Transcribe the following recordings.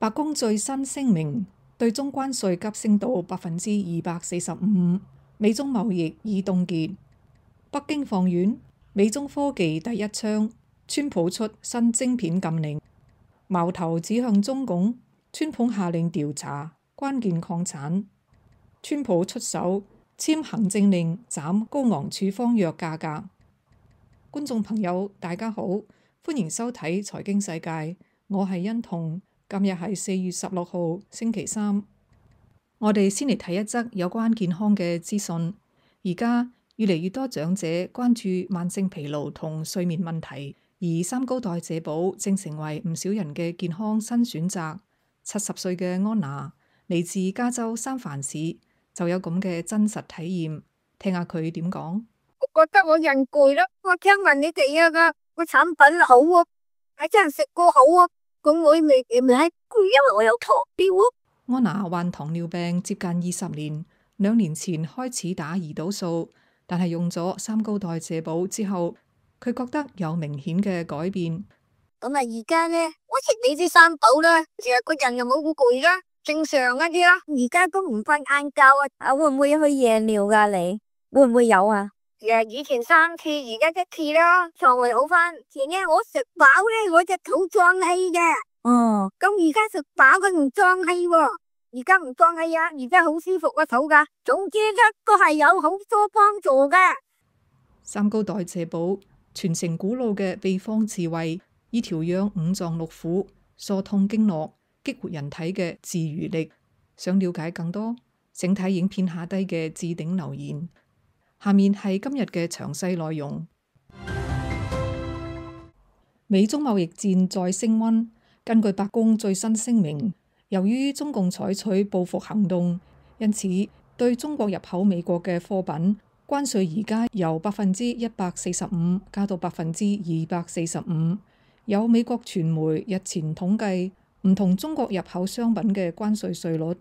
白宮最新聲明，對中關稅急升到245%，美中貿易已凍結。北京放軟，美中科技第一槍，川普出新晶片禁令，矛頭指向中共，川普下令調查關鍵礦產，川普出手簽行政令斬高昂處方藥價格。觀眾朋友大家好，歡迎收睇財經世界，我係欣彤。今日係4月16號星期三，我哋先嚟睇一則有關健康嘅資訊。而家越嚟越多長者關注慢性疲勞同睡眠問題，而三高代謝寶正成為唔少人嘅健康新選擇。70歲嘅安娜嚟自加州三藩市，就有咁嘅真實體驗，聽下佢點講。我覺得我人攰啦，我聽聞你哋個產品好啊，係真係食過好啊。咁我未攰，因為我有糖尿啊。安娜患糖尿病接近20年，2年前開始打胰島素，但係用咗三高代謝寶之後，佢覺得有明顯嘅改變。咁啊，而家呢，我食你啲三寶啦，其實個人又冇咁攰啦，正常一啲啦。而家都唔瞓晏覺啊，會唔會去夜尿噶？你會唔會有啊？以前3次，而家1次啦，腸胃好翻。前日我食飽咧，我隻肚脹氣嘅。咁而家食飽佢唔脹氣喎，而家唔脹氣啊，而家好舒服個肚噶。總之咧，都係有好多幫助嘅。三高代謝寶傳承古老嘅秘方智慧，以調養五臟六腑、疏通經絡、激活人體嘅自愈力。想了解更多，請睇影片下低嘅置頂留言。下面係今日嘅詳細內容。美中貿易戰再升溫，根據白宮最新聲明，由於中共採取報復行動，因此對中國入口美國嘅貨品關稅而家由145%加到245%。有美國傳媒日前統計唔同中國入口商品嘅關稅稅率，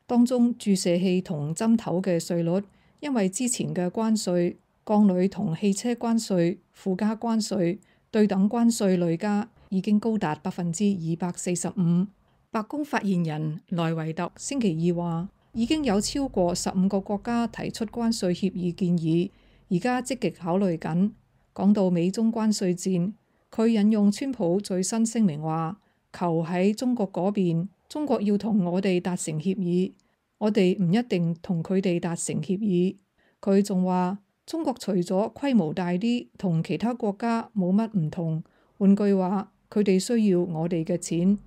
當中注射器同針頭嘅稅率，因為之前嘅關稅、鋼鋁同汽車關稅、附加關稅、對等關稅累加已經高達245%。白宮發言人萊維特星期二話，已經有超過15個國家提出關稅協議建議，而家積極考慮緊。講到美中關稅戰，佢引用川普最新聲明話，求喺中國嗰邊，中國要同我哋達成協議。我哋唔一定同佢哋達成協議。佢仲話，中國除咗規模大啲，同其他國家冇乜唔同。換句話，佢哋需要我哋嘅錢。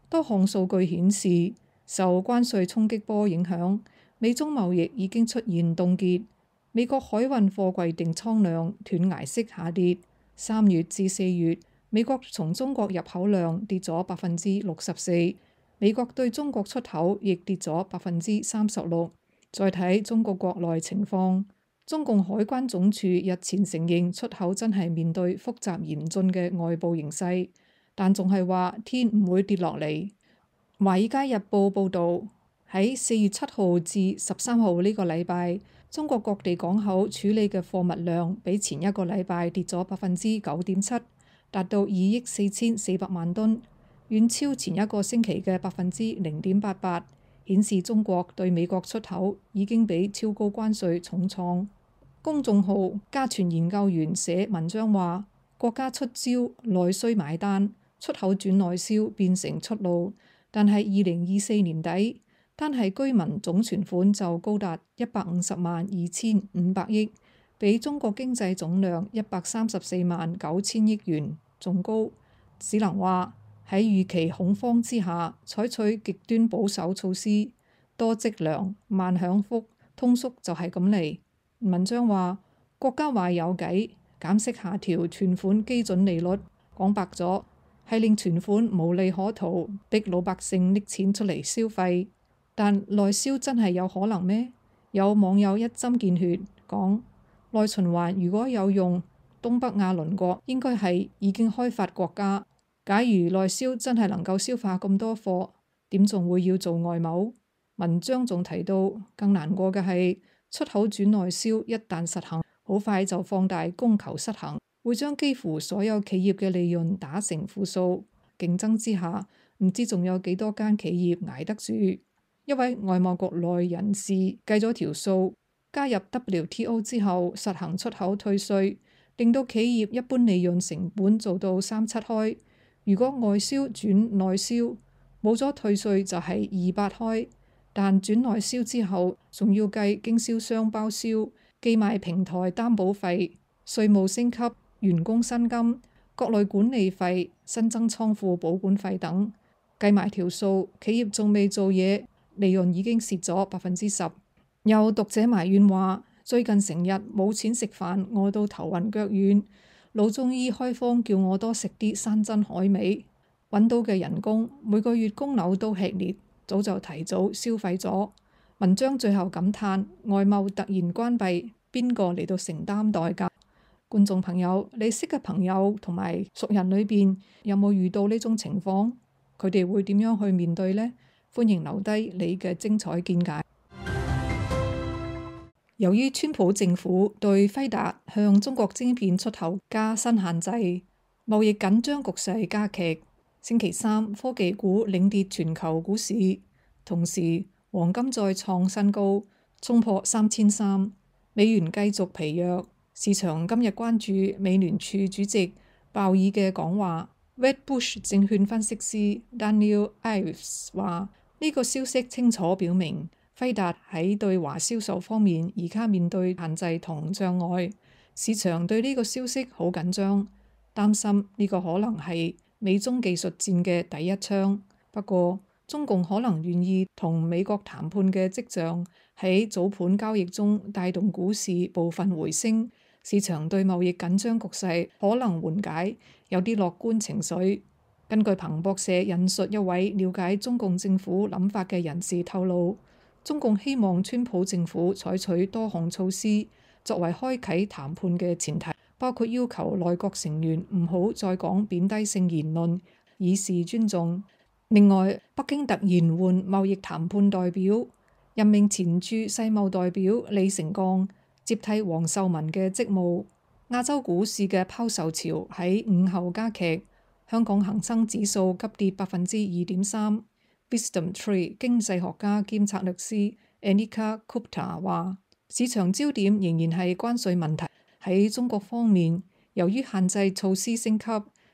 多項數據顯示，受關稅衝擊波影響，美中貿易已經出現凍結。美國海運貨櫃訂倉量斷崖式下跌。3月至4月，美國從中國入口量跌咗64%。美國對中國出口亦跌咗36%。再睇中國國內情況，中共海關總署日前承認出口真係面對複雜嚴峻嘅外部形勢，但仲係話天唔會跌落嚟。華爾街日報報導，喺4月7號至13號呢個禮拜，中國各地港口處理嘅貨物量比前一個禮拜跌咗9.7%，達到2億4400萬噸。遠超前一個星期嘅0.88%，顯示中國對美國出口已經比超高關稅重創。公眾號家傳研究員寫文章話，國家出招內需買單，出口轉內銷變成出路。但係2024年底，單係居民總存款就高達1502500億，比中國經濟總量1349000億元仲高。只能話，喺預期恐慌之下，採取極端保守措施，多積糧慢享福，通縮就係咁嚟。文章話，國家話有計，減息下調存款基準利率，講白咗係令存款無利可圖，逼老百姓拎錢出嚟消費。但內銷真係有可能咩？有網友一針見血講，內循環如果有用，東北亞鄰國應該係已經開發國家。假如內銷真係能夠消化咁多貨，點仲會要做外貿？文章仲提到，更難過嘅係出口轉內銷一旦實行，好快就放大供求失衡，會將幾乎所有企業嘅利潤打成負數。競爭之下，唔知仲有幾多間企業捱得住。一位外貿局內人士計咗條數，加入 WTO 之後實行出口退稅，令到企業一般利潤成本做到3-7開。如果外銷轉內銷，冇咗退稅就係2-8開，但轉內銷之後仲要計經銷商包銷、寄賣平台擔保費、稅務升級、員工薪金、國內管理費、新增倉庫保管費等，計埋條數，企業仲未做嘢，利潤已經蝕咗10%。有讀者埋怨話，最近成日冇錢食飯，餓到頭暈腳軟，老中醫開方叫我多食啲山珍海味，揾到嘅人工每個月供樓都吃力，早就提早消費咗。文章最後感嘆，外貿突然關閉，邊個嚟到承擔代價？觀眾朋友，你識嘅朋友同埋熟人裏邊有冇遇到呢種情況？佢哋會點樣去面對呢？歡迎留低你嘅精彩見解。由於川普政府對輝達向中國晶片出口加新限制，貿易緊張局勢加劇。星期三，科技股領跌全球股市，同時黃金再創新高，衝破3300。美元繼續疲弱，市場今日關注美聯儲主席鮑爾嘅講話。Wedbush 證券分析師 Daniel Ives 話：呢個消息清楚表明，輝達喺對華銷售方面而家面對限制同障礙，市場對呢個消息好緊張，擔心呢個可能係美中技術戰嘅第一槍。不過，中共可能願意同美國談判嘅跡象喺早盤交易中帶動股市部分回升，市場對貿易緊張局勢可能緩解，有啲樂觀情緒。根據彭博社引述一位了解中共政府諗法嘅人士透露，中共希望川普政府採取多項措施作為開啓談判嘅前提，包括要求內閣成員唔好再講貶低性言論，以示尊重。另外，北京突然換貿易談判代表，任命前駐世貿代表李成鋼接替王受文嘅職務。亞洲股市嘅拋售潮喺午後加劇，香港恒生指數急跌2.3%。Wisdom Tree 經濟學家兼策略師 Anika Gupta 話：市場焦點仍然係關稅問題。喺中國方面，由於限制措施升級，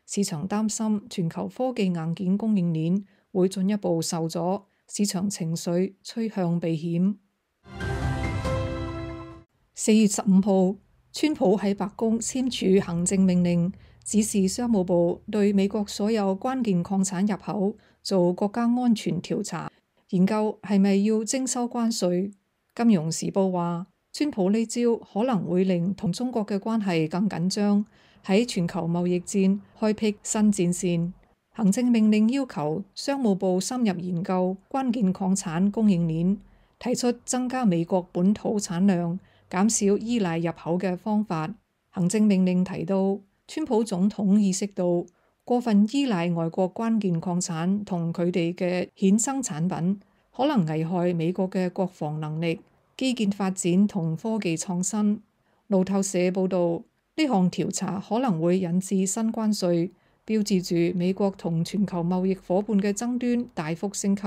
市場擔心全球科技硬件供應鏈會進一步受阻，市場情緒趨向避險。4月15號，川普喺白宮簽署行政命令，指示商務部對美國所有關鍵礦產入口做國家安全調查，研究係咪要徵收關稅。金融時報話，川普呢招可能會令同中國嘅關係更緊張，喺全球貿易戰開闢新戰線。行政命令要求商務部深入研究關鍵礦產供應鏈，提出增加美國本土產量、減少依賴入口嘅方法。行政命令提到，川普總統意識到過分依賴外國關鍵礦產同佢哋嘅衍生產品，可能危害美國嘅國防能力、基建發展同科技創新。路透社報導，呢項調查可能會引致新關稅，標誌住美國同全球貿易夥伴嘅爭端大幅升級，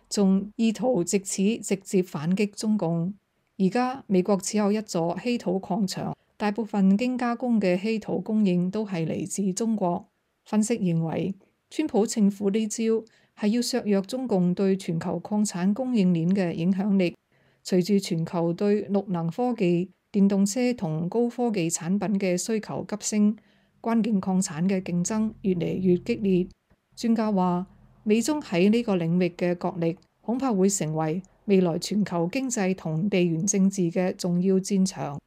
仲意圖藉此直接反擊中共。而家美國只有一座稀土礦場，大部分經加工嘅稀土供應都係嚟自中國。分析認為，川普政府呢招係要削弱中共對全球礦產供應鏈嘅影響力。隨住全球對綠能科技、電動車同高科技產品嘅需求急升，關鍵礦產嘅競爭越嚟越激烈。專家話，美中喺呢個領域嘅角力恐怕會成為未來全球經濟同地緣政治嘅重要戰場。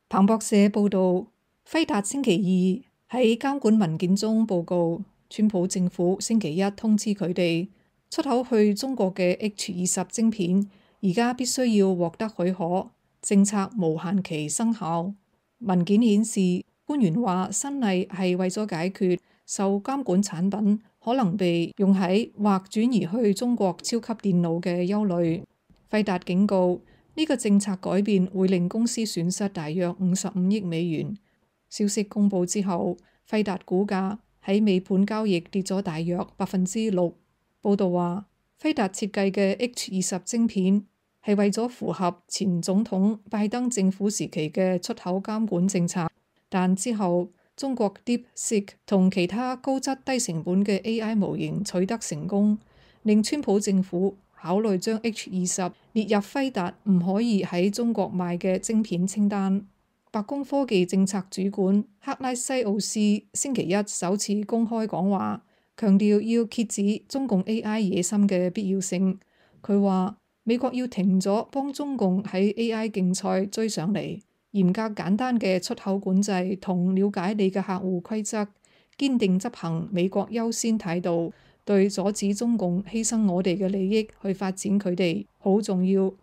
彭博社報導，輝達星期二喺監管文件中報告，川普政府星期一通知佢哋，出口去中國嘅 H20晶片而家必須要獲得許可，政策無限期生效。文件顯示，官員話新例係為咗解決受監管產品可能被用喺或轉移去中國超級電腦嘅憂慮。輝達警告，呢個政策改變會令公司損失大約55億美元。消息公佈之後，輝達股價喺尾盤交易跌咗大約6%。報道話，輝達設計嘅 H20晶片係為咗符合前總統拜登政府時期嘅出口監管政策，但之後中國 DeepSeek 同其他高質低成本嘅 AI 模型取得成功，令川普政府考慮將 H20列入輝達唔可以喺中國賣嘅晶片清單。白宮科技政策主管克拉西奧斯星期一首次公開講話，強調要遏止中共 AI 野心嘅必要性。佢話美國要停咗幫中共喺 AI 競賽追上嚟，嚴格簡單嘅出口管制同了解你嘅客戶規則，堅定執行美國優先態度，對阻止中共犧牲我哋嘅利益去發展佢哋好重要。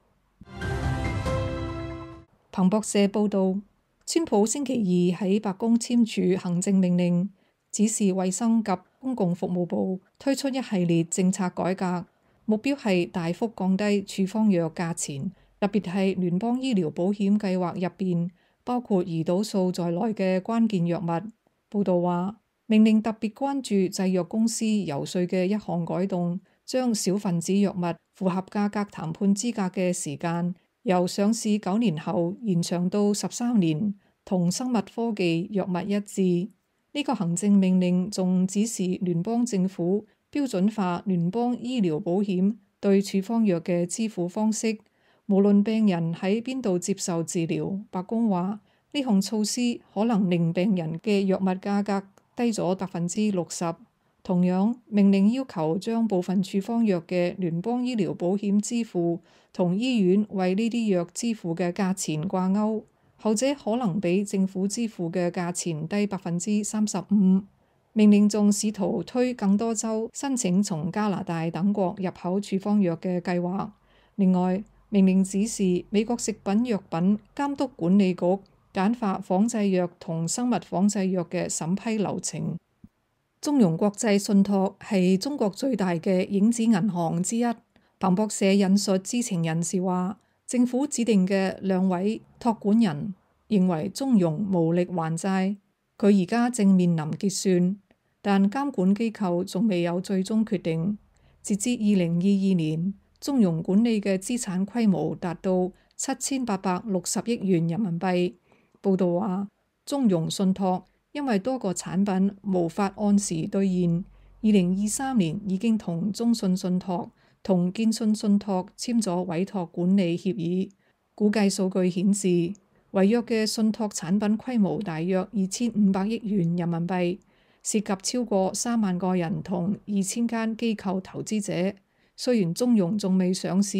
彭博社報導，川普星期二喺白宮簽署行政命令，指示衛生及公共服務部推出一系列政策改革，目標係大幅降低處方藥價錢，特別係聯邦醫療保險計劃入邊包括胰島素在內嘅關鍵藥物。報導話，命令特別關注製藥公司遊說嘅一項改動，將小分子藥物符合價格談判資格嘅時間由上市9年後延長到13年，同生物科技藥物一致。呢個行政命令仲指示聯邦政府標準化聯邦醫療保險對處方藥嘅支付方式，無論病人喺邊度接受治療。白宮話呢項措施可能令病人嘅藥物價格低咗60%。同樣，命令要求將部分處方藥嘅聯邦醫療保險支付同醫院為呢啲藥支付嘅價錢掛鈎，後者可能比政府支付嘅價錢低35%。命令仲試圖推更多州申請從加拿大等國入口處方藥嘅計劃。另外，命令指示美國食品藥品監督管理局簡化仿製藥同生物仿製藥嘅審批流程。中融國際信託係中國最大嘅影子銀行之一。彭博社引述知情人士話，政府指定嘅2位託管人認為中融無力還債，佢而家正面臨結算，但監管機構仲未有最終決定。截至2022年，中融管理嘅資產規模達到7860億元人民幣。報道話，中融信託因為多個產品無法按時兌現，2023年已經同中信信託同建信信託簽咗委託管理協議。估計數據顯示，違約嘅信託產品規模大約2500億元人民幣，涉及超過3萬個人同2000間機構投資者。雖然中融仲未上市，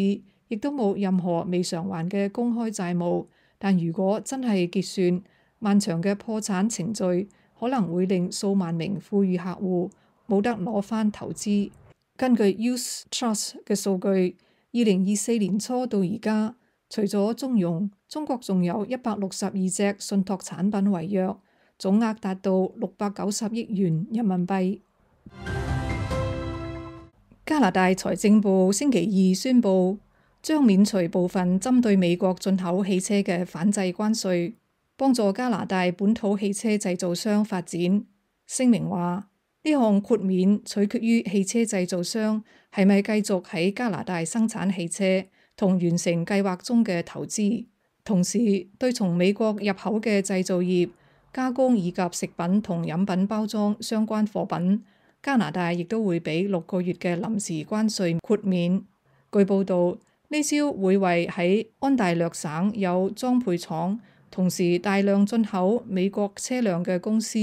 亦都冇任何未償還嘅公開債務，但如果真係結算，漫長嘅破產程序可能會令數萬名富裕客戶冇得攞返投資。根據 Youth Trust 嘅數據，2024年初到而家，除咗中融，中國仲有162隻信託產品違約，總額達到690億元人民幣。加拿大財政部星期二宣布，將免除部分針對美國進口汽車嘅反制關稅，幫助加拿大本土汽車製造商發展。聲明話，呢項豁免取決於汽車製造商係咪繼續喺加拿大生產汽車同完成計劃中嘅投資，同時對從美國入口嘅製造業、加工以及食品同飲品包裝相關貨品，加拿大亦都會俾6個月嘅臨時關稅豁免。據報道，呢招會為喺安大略省有裝配廠，同時大量進口美國車輛嘅公司，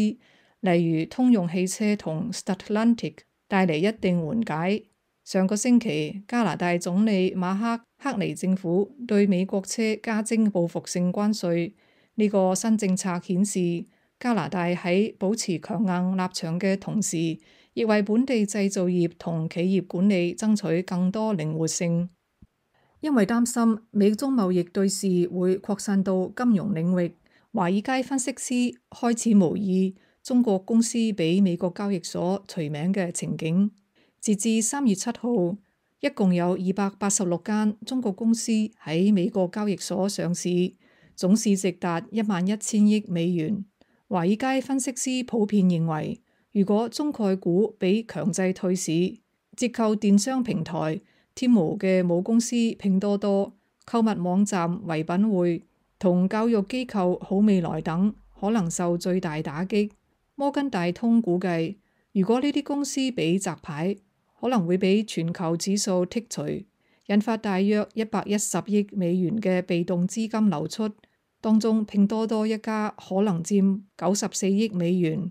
例如通用汽車同 Stellantis 帶嚟一定緩解。上個星期，加拿大總理馬克尼政府對美國車加徵報復性關稅。呢個新政策顯示，加拿大喺保持強硬立場嘅同時，亦為本地製造業同企業管理爭取更多靈活性。因為擔心美中貿易對峙會擴散到金融領域，華爾街分析師開始模擬中國公司俾美國交易所除名嘅情景。截至3月7號，一共有286間中國公司喺美國交易所上市，總市值達11000億美元。華爾街分析師普遍認為，如果中概股被強制退市，折扣電商平台 Temu 嘅母公司拼多多、購物網站唯品會同教育機構好未來等可能受最大打擊。摩根大通估計，如果呢啲公司被摘牌，可能會俾全球指數剔除，引發大約110億美元嘅被動資金流出，當中拼多多一家可能佔94億美元。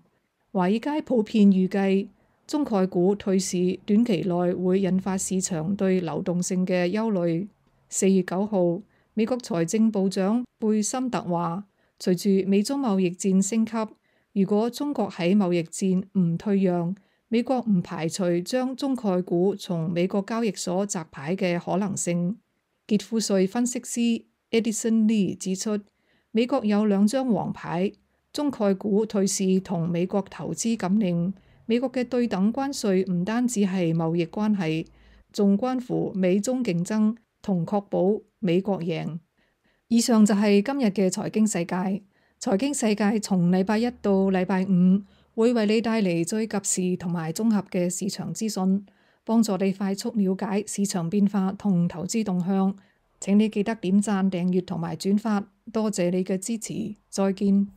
華爾街普遍預計，中概股退市短期內會引發市場對流動性嘅憂慮。4月9號，美國財政部長貝森特話，隨住美中貿易戰升級，如果中國喺貿易戰唔退讓，美國唔排除將中概股從美國交易所摘牌嘅可能性。傑富瑞分析師 Edison Lee 指出，美國有2張黃牌。中概股退市同美國投資禁令，美國嘅對等關稅唔單止係貿易關係，仲關乎美中競爭同確保美國贏。以上就係今日嘅財經世界。財經世界從禮拜一到禮拜五會為你帶嚟最及時同埋綜合嘅市場資訊，幫助你快速了解市場變化同投資動向。請你記得點讚、訂閱同埋轉發，多謝你嘅支持。再見。